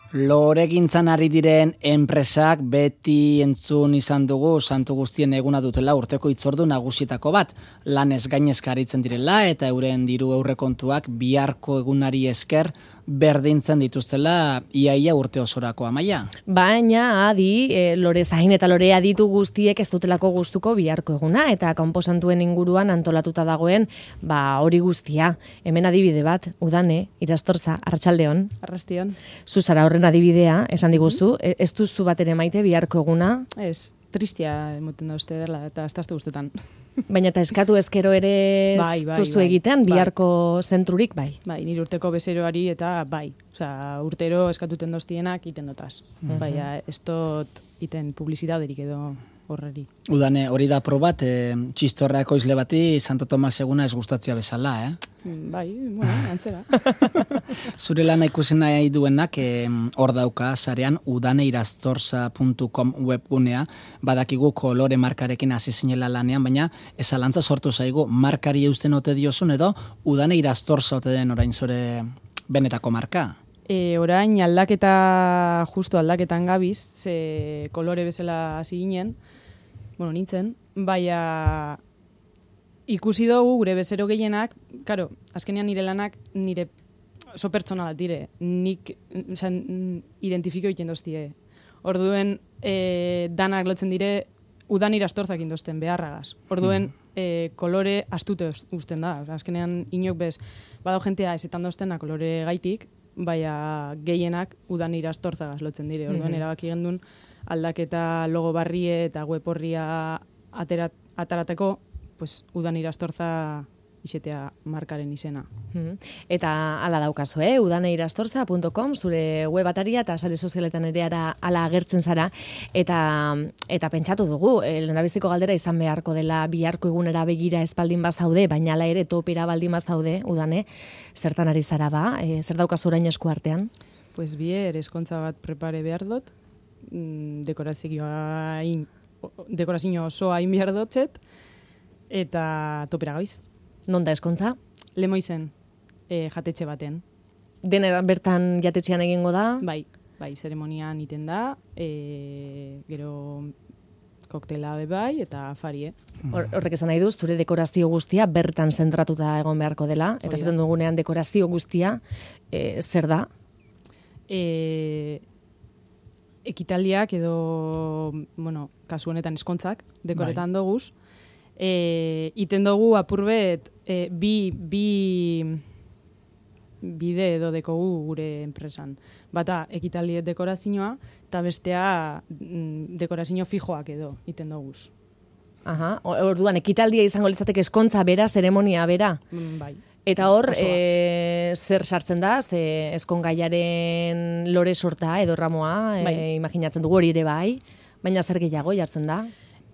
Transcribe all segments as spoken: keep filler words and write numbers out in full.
Loregintzan ari diren enpresak beti entzun izan dugu santu guztien eguna dutela urteko hitzordu nagusietako bat. Lanez gainezka aritzen direla eta euren diru aurrekontuak biharko egunari esker berdintzen dituztela iaia urte osorako Amaia. Baina adi, e, lore zain eta lore aditu guztiek ez dutelako gustuko biharko eguna eta kanposantuen inguruan antolatuta dagoen ba hori guztia. Hemen adibide bat, Udane, Irastorza, Arratsaldeon. Arrastion. Zuzara horren adibidea, esan diguztu, mm-hmm. ez duzu batere maite biharko eguna? Ez, tristia emoten da uste dela eta estazte guztetan. Baina eta eskatu ezkero ere bai, bai, duztu bai, egiten bai. biharko zentrurik bai? Bai, nire urteko bezeroari eta bai. Osea, urtero eskatuten doztienak iten dotaz. Mm-hmm. Baina ez dut iten publizidaderik edo horreri. Udane, hori da probat, e, txistorra ekoizle bati Santo Tomas eguna ez gustatzia bezala, eh? Bai, bueno, antzera. Zure lana ikusi nahi duenak hor dauka sarean udaneirastorza puntu com webgunea, badakigu kolore markarekin hasi zinela lanean, baina ezalantza sortu zaigu markari eusten ote diozun edo Udaneirastorza ote den orain zure benetako marka? E, orain aldaketa, justu aldaketan gabiz, ze kolore bezala hasi ginen, bueno, nintzen, baina ikusi dugu gure bezero gehienak, karo, azkenean nire lanak nire oso pertsonalat dire, nik zan, identifiko egiten doztie. Orduen e, danak lotzen dire Udaneirastorzak indozten beharragaz. Orduen e, kolore astute uzten da. Azkenean inok bez, badau jentea ezetan doztena kolore gaitik, baina gehienak Udaneirastorzagaz lotzen dire. Orduen mm-hmm. erabaki gendun aldaketa logo barrie eta web horria aterat, atarateko, pues Udaneirastorza izetea markaren izena. Mm-hmm. Eta hala daukazu, eh? udaneirastorza puntu com, zure web ataria eta sare sozialetan ere ara hala agertzen zara. Eta, eta pentsatu dugu, eh, lehendabiziko galdera izan beharko dela biharko egunera begira espaldin bazaude, baina hala ere topera baldin bazaude, Udane, zertan ari zara ba? Eh, zer daukazu orain esku artean? Pues bier, eskontza bat prepare behar dut, dekorazioa in, dekorazio osoa in behar dutxet, eta topera gabiz. Non da eskontza? Lemoizen, e, jatetxe baten. Denera bertan jatetxean egingo da? Bai, bai, zeremonian iten da, e, gero koktela be bai, eta afarie. Hor, horrek esan nahi duz, zure dekorazio guztia bertan zentratuta egon beharko dela, eta zaten dugunean dekorazio guztia, e, zer da? E, ekitaldiak edo, bueno, kasu honetan eskontzak, dekoretan bai. Doguz, E, iten dugu apurbet e, bi, bi bide edo dekogu gure enpresan. Bata, ekitaldiet dekorazioa, eta bestea mm, dekorazio fijoak edo iten duguz. Aha, orduan, ekitaldia izango litzateke eskontza bera, zeremonia bera? Mm, bai. Eta hor, e, zer sartzen da, ze eskongaiaren lore sorta edo ramoa, bai. e, imaginatzen dugu hori ere bai, baina zer gehiago jartzen da?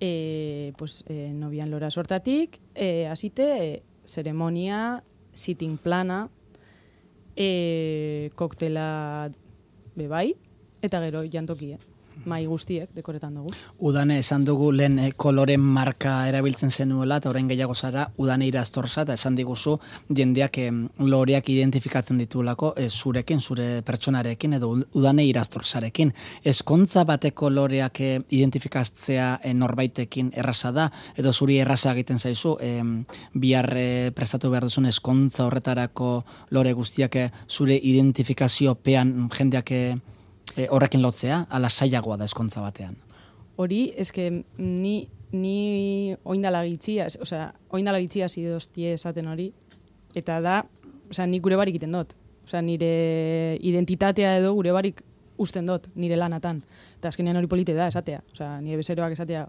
E, pues, e, nobian lora sortatik, e, azite, e, zeremonia, sitting plana, e, koktela bebai, eta gero jantokie. Mai guztiek dekoretan dugu. Udane, esan dugu lehen eh, koloren marka erabiltzen zenuela, eta orain gehiago zara Udaneirastorza, eta esan diguzu jendeak eh, loreak identifikatzen ditulako eh, zurekin, zure pertsonarekin, edo Udaneirastorzarekin. Eskontza bateko loreak eh, identifikatzea eh, norbaitekin erraza da, edo zuri erraza egiten zaizu, eh, bihar eh, prestatu behar duzun eskontza horretarako lore guztiak eh, zure identifikaziopean jendeak eh, E, horrekin lotzea, ala sailagoa da eskontza batean. Hori, eske ni, ni oindala gitzia, osea, oindala gitzia zidoztie esaten hori, eta da, osea, nik gure barik iten dut. Osea, nire identitatea edo gure barik usten dut, nire lanatan. Eta azkenean hori polite da esatea. Osea, nire bezeroak esatea,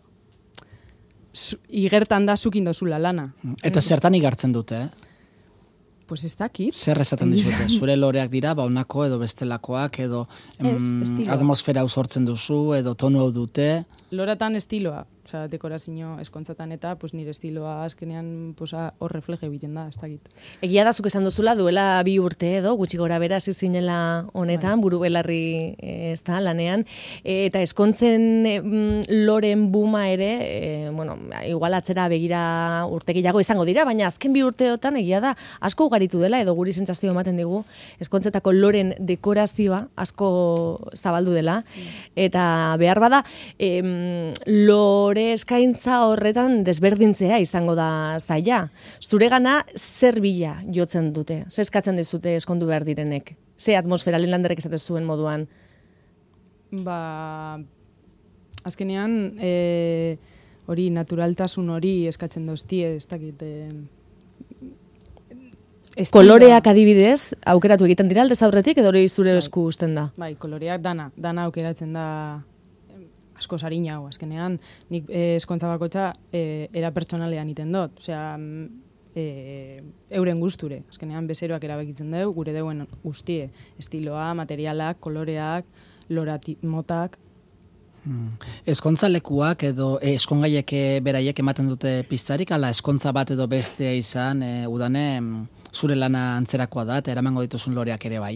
zu, igertan da zukin dozula lana. Mm. Eta zertan igartzen dute, eh? Pues ez dakit. Zer esaten dizute? Zure loreak dira, ba honako edo bestelakoak, edo em, ez, atmosfera hau sortzen duzu, edo tonu hau dute? Loratan estiloa. Osea, dekorazio eskontzatan eta pues, nire estiloa azkenean pues, hor refleje egiten da, ez dakit. Egia da, zuk esan duzula, duela bi urte edo, gutxi gora bera hasi zinela honetan, buru belarri ez da, lanean, e, eta eskontzen e, loren buma ere, e, bueno, igual atzera begira urte gehiago izango dira, baina azken bi urteotan egia da, asko ugaritu dela, edo guri sentsazio ematen digu, eskontzetako loren dekorazioa asko zabaldu dela, eta behar bada, em, lore eskaintza horretan desberdintzea izango da zaila. Zuregana zer bila jotzen dute? Ze eskatzen dizute eskondu behar direnek? Ze atmosfera Linlanderrek esate zuen moduan? Ba, azkenean, e, hori naturaltasun hori eskatzen doztie, ez dakit... E, Koloreak adibidez, aukeratu egiten dira aldez aurretik, edo hori zure esku uzten da? Bai, koloreak dana, dana aukeratzen da asko sarina hau, azkenean, nik eh, eskontza bakotxa eh, era pertsonalean iten dut, osea, eh, euren gusture, azkenean bezeroak erabekitzen dugu, gure deuen guztie, estiloa, materialak, koloreak, lorati, motak. Hmm. Eskontza lekuak edo e, eskongaiek beraiek ematen dute piztarik, ala eskontza bat edo bestea izan, e, udane zure lana antzerakoa da, eta eramango dituzun loreak ere bai?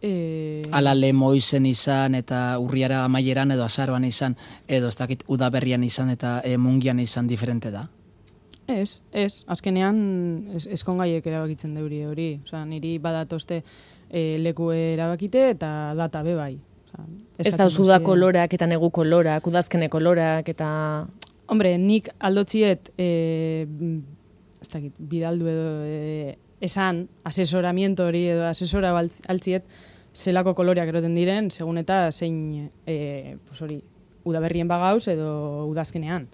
E... Ala lemoizen izan eta urriara amaieran edo azaroan izan, edo ez dakit udaberrian izan eta e, mungian izan diferente da? Ez, ez, azkenean es, eskongaiek erabakitzen deuri hori, osea, niri badatozte e, leku erabakite eta data be bai. Ez da uda kolorak eta negu kolorak, udazkene kolorak eta... Hombre, nik aldotziet, e, ez dakit, bidaldu edo e, esan, asesoramiento hori edo asesora altziet, zelako koloreak eroten diren, segun eta zein, e, pues hori, udaberrien bagauz edo udazkenean.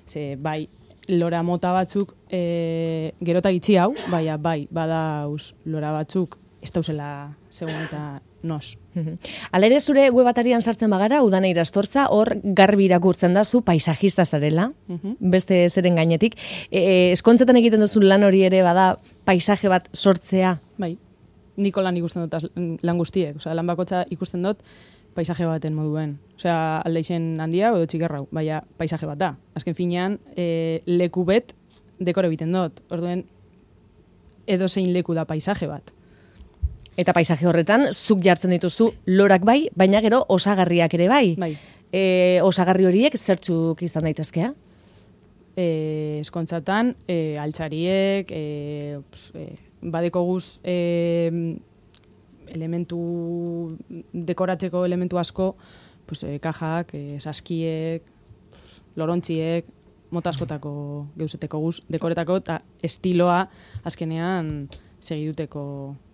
Ze, bai, lora mota batzuk e, gerota gitzi hau, baina bai, badauz lora batzuk, ez dauzela segun eta nos. Hala ere zure web atarian sartzen bagara, Udane Irastorza, hor garbi irakurtzen da zu paisajista zarela, beste zeren gainetik. E, eskontzetan egiten duzu lan hori ere bada paisaje bat sortzea? Bai, niko lan ikusten dut lan guztiek. Osea, lan bakotza ikusten dut paisaje baten moduen. Osea, aldeixen handia edo txikerrau, baina paisaje bat da. Azken finean, e, leku bet dekore biten dut. Orduen, edo zein leku da paisaje bat. Eta paisaje horretan, zuk jartzen dituzu lorak bai, baina gero osagarriak ere bai. Bai. E, osagarri horiek zertzuk izan daitezkea? E, eskontzatan, e, altzariek, e, pues, e, badeko guz e, elementu, dekoratzeko elementu asko, pues, e, kajak, e, saskiek, lorontziek, mota askotako geuzeteko guz, dekoretako eta estiloa azkenean segiduteko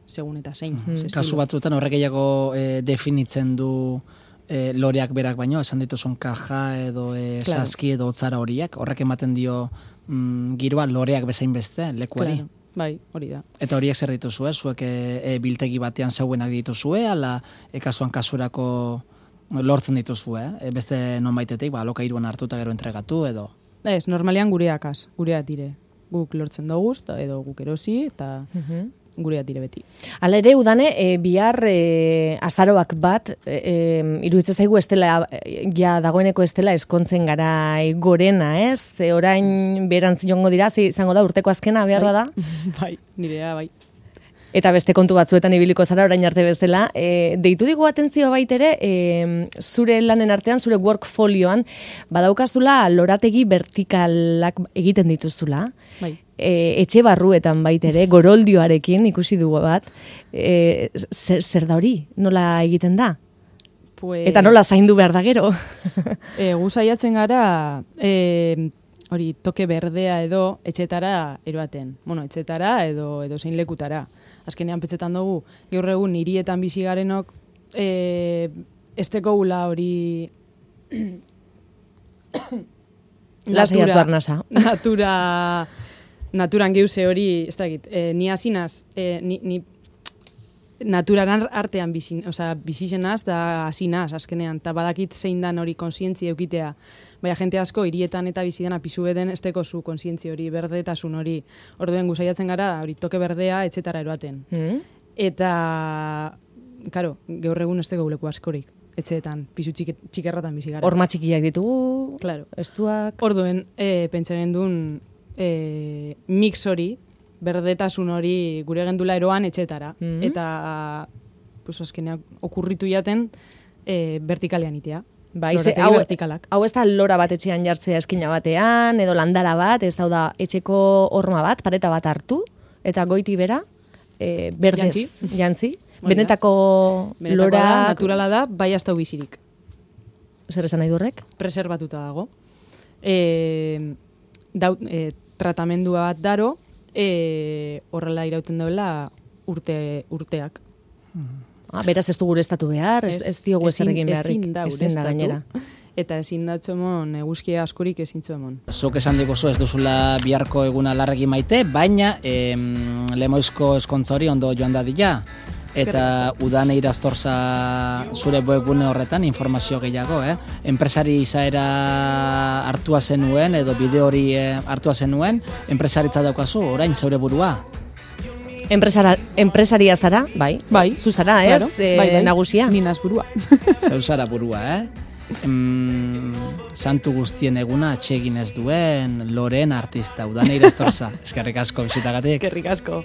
segun eta zein. Mm. Kasu batzuetan horrek gehiago e, definitzen du e, loreak berak baino, esan dituzun kaja edo e, claro. Saski edo otzara horiek, horrek ematen dio mm, giroa loreak bezain beste, lekuari. Claro. Bai, hori da. Eta horiek zer dituzue, zuek e, e, biltegi batean zauenak dituzue, ala e, kasuan kasurako lortzen dituzue, e, beste nonbaitetik, ba, alokairuan hartuta gero entregatu edo? Ez, normalean gureak az, gureak dire. Guk lortzen doguz, edo guk erosi, eta... Uh-huh. Gurea dire beti. Hala ere, Udane, e, bihar e, azaroak bat, e, e, iruditzen zaigu estela, ja dagoeneko estela eskontzen garai gorena, ez? E, orain berantz jongo dira, izango da urteko azkena behar bai. da? Bai, nirea, bai. Eta beste kontu batzuetan ibiliko zara orain arte bezala. E, deitu digu atentzio baitere, e, zure lanen artean, zure workfolioan, badaukazula lorategi vertikalak egiten dituzula. Bai. E, etxe barruetan baitere, goroldioarekin ikusi dugu bat. E, zer, zer da hori? Nola egiten da? Pues... Eta nola zaindu behar da gero? e, gu saiatzen gara... E, hori toke berdea edo etxetara eroaten. Bueno, etxetara edo edo zein lekutara. Azkenean petzetan dugu, gaur egun hirietan bizi garenok eh esteko gula hori natura, natura naturan geuse hori, ez dakit, eh ni hasinaz, eh ni, ni naturaran artean bizi, osea, bizizenaz da hasinaz azkenean, ta badakit zein dan hori kontzientzia eukitea. Baina jente asko hirietan eta bizi dena pisu beden esteko zu kontzientzia hori, berdetasun hori. Orduen gu saiatzen gara hori toke berdea etxetara eroaten. Mm. Eta claro, gaur egun esteko leku askorik. etxeetan, pisu txike, txikerratan bizi gara. Horma txikiak ditugu, Claro. estuak... Orduen, e, pentsa gendun e, mix hori, berdetasun hori gure gendula eroan etxetara. Mhm. Eta, pues, azkenean, okurritu jaten e, vertikalean itea. Bai, ze, Lorategi hau, vertikalak. hau ez da lora bat etxean jartzea eskina batean, edo landara bat, ez da etxeko horma bat, pareta bat hartu, eta goiti bera, e, berdez, Jantzi. jantzi. Hori da. Benetako, Benetakoa lora... da, naturala da, bai hasta bizirik. Zer esan nahi durrek? Preserbatuta dago. E, daut, e, tratamendua bat daro, e, horrela irauten dauela urte, urteak. Ah, beraz ez du gure estatu behar, ez, ez diogu ezer egin beharrik. Ezin da Ezin da ureztatu. gainera. Eta ezin datxo emon, eguzkia askorik ezin txo emon. Zuk esan diguzu ez duzula biharko eguna larregi maite, baina em, lemoizko eskontza hori ondo joan dadila. Eta udan eiraztorza zure webgune horretan informazio gehiago, eh? Enpresari izaera hartua zenuen, edo bideo hori eh, hartua zenuen, enpresaritza daukazu, orain zeure burua. Enpresara, enpresaria zara, bai. Bai. Zu zara, ez? Claro, Eh, bai, bai. Nagusia. Ni naz burua. Zeu zara burua, eh? Em, santu guztien eguna atsegin ez duen Loren artista, udan eiraztorza. Eskerrik asko bisitagatik. Eskerrik asko.